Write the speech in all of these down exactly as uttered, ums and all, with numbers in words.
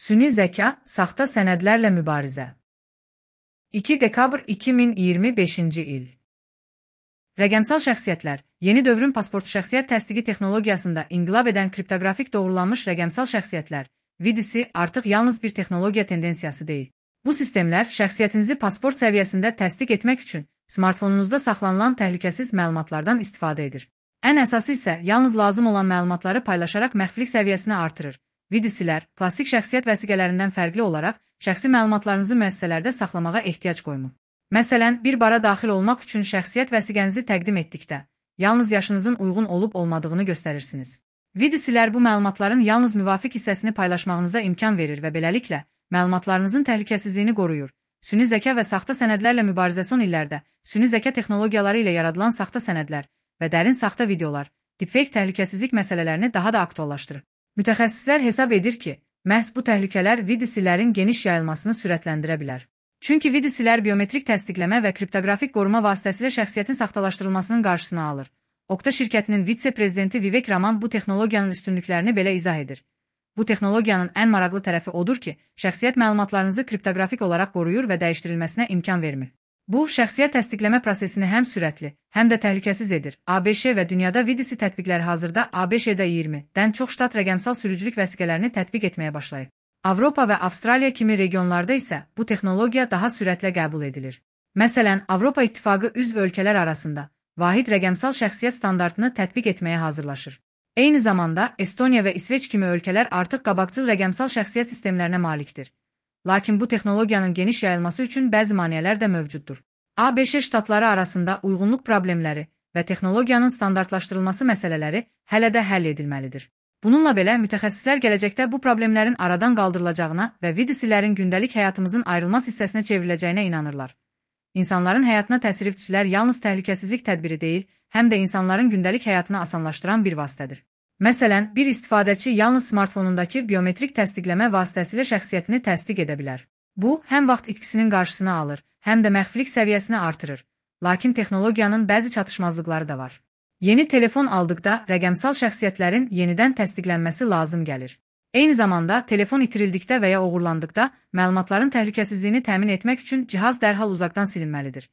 Süni zeka, saxta sənədlərlə mübarizə. iki dekabr iki min iyirmi beşinci il. Rəqəmsal şəxsiyyətlər, yeni dövrün pasport şəxsiyyət təsdiqi texnologiyasında inqilab edən kriptoqrafik doğrulanmış rəqəmsal şəxsiyyətlər, V D C artıq yalnız bir texnologiya tendensiyası deyil. Bu sistemlər şəxsiyyətinizi pasport səviyyəsində təsdiq etmək üçün smartfonunuzda saxlanılan təhlükəsiz məlumatlardan istifadə edir. Ən əsası isə yalnız lazım olan məlumatları paylaşaraq məxfilik səviyyəsini artırır. V D C-lər klassik şəxsiyyət vəsiqələrindən fərqli olaraq şəxsi məlumatlarınızı müəssisələrdə saxlamağa ehtiyac qoymur. Məsələn, bir bara daxil olmaq üçün şəxsiyyət vəsiqənizi təqdim etdikdə, yalnız yaşınızın uyğun olub-olmadığını göstərirsiniz. V D C-lər bu məlumatların yalnız müvafiq hissəsini paylaşmağınıza imkan verir və beləliklə məlumatlarınızın təhlükəsizliyini qoruyur. Süni zəka və saxta sənədlərlə mübarizə son illərdə süni zəka texnologiyaları ilə yaradılan saxta sənədlər və dərin saxta videolar, deepfake təhlükəsizlik məsələlərini daha da aktuallaşdırır. Mütəxəssislər hesab edir ki, məhz bu təhlükələr V D C-lərin geniş yayılmasını sürətləndirə bilər. Çünki V D C-lər biometrik təsdiqləmə və kriptoqrafik qoruma vasitəsilə şəxsiyyətin saxtalaşdırılmasının qarşısını alır. Okta şirkətinin vitse-prezidenti Vivek Raman bu texnologiyanın üstünlüklərini belə izah edir. Bu texnologiyanın ən maraqlı tərəfi odur ki, şəxsiyyət məlumatlarınızı kriptoqrafik olaraq qoruyur və dəyişdirilməsinə imkan vermir. Bu, şəxsiyyət təsdiqləmə prosesini həm sürətli, həm də təhlükəsiz edir. A B Ş və dünyada V D C tətbiqləri hazırda A B Ş-də iyirmidən çox ştat rəqəmsal sürücülük vəsiqələrini tətbiq etməyə başlayıb. Avropa və Avstraliya kimi regionlarda isə bu texnologiya daha sürətlə qəbul edilir. Məsələn, Avropa İttifaqı üzv ölkələr arasında vahid rəqəmsal şəxsiyyət standartını tətbiq etməyə hazırlaşır. Eyni zamanda Estoniya və İsveç kimi ölkələr artıq qabaqcıl rəqəmsal şəxsiyyət sistemlərinə malikdir. Lakin bu texnologiyanın geniş yayılması üçün bəzi maneələr də mövcuddur. A B Ş ştatları arasında uyğunluq problemləri və texnologiyanın standartlaşdırılması məsələləri hələ də həll edilməlidir. Bununla belə, mütəxəssislər gələcəkdə bu problemlərin aradan qaldırılacağına və V D C-lərin gündəlik həyatımızın ayrılmaz hissəsinə çevriləcəyinə inanırlar. İnsanların həyatına təsirçilər yalnız təhlükəsizlik tədbiri deyil, həm də insanların gündəlik həyatını asanlaşdıran bir vasitədir. Məsələn, bir istifadəçi yalnız smartfonundakı biometrik təsdiqləmə vasitəsilə şəxsiyyətini təsdiq edə bilər. Bu, həm vaxt itkisinin qarşısını alır, həm də məxfilik səviyyəsini artırır. Lakin texnologiyanın bəzi çatışmazlıqları da var. Yeni telefon aldıqda rəqəmsal şəxsiyyətlərin yenidən təsdiqlənməsi lazım gəlir. Eyni zamanda, telefon itirildikdə və ya oğurlandıqda məlumatların təhlükəsizliyini təmin etmək üçün cihaz dərhal uzaqdan silinməlidir.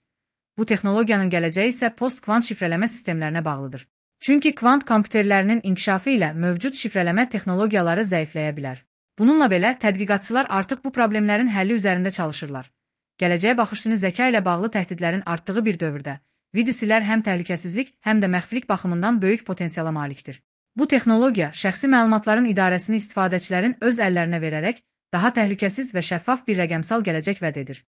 Bu texnologiyanın gələcəyi isə post-kvant şifrələmə sistemlərinə bağlıdır. Çünki kvant kompüterlərinin inkişafı ilə mövcud şifrələmə texnologiyaları zəifləyə bilər. Bununla belə, tədqiqatçılar artıq bu problemlərin həlli üzərində çalışırlar. Gələcəyə baxış süni zəka ilə bağlı təhdidlərin artdığı bir dövrdə, V D C-lər həm təhlükəsizlik, həm də məxfilik baxımından böyük potensiala malikdir. Bu texnologiya şəxsi məlumatların idarəsini istifadəçilərin öz əllərinə verərək daha təhlükəsiz və şəffaf bir rəqəmsal gələcək vəd edir.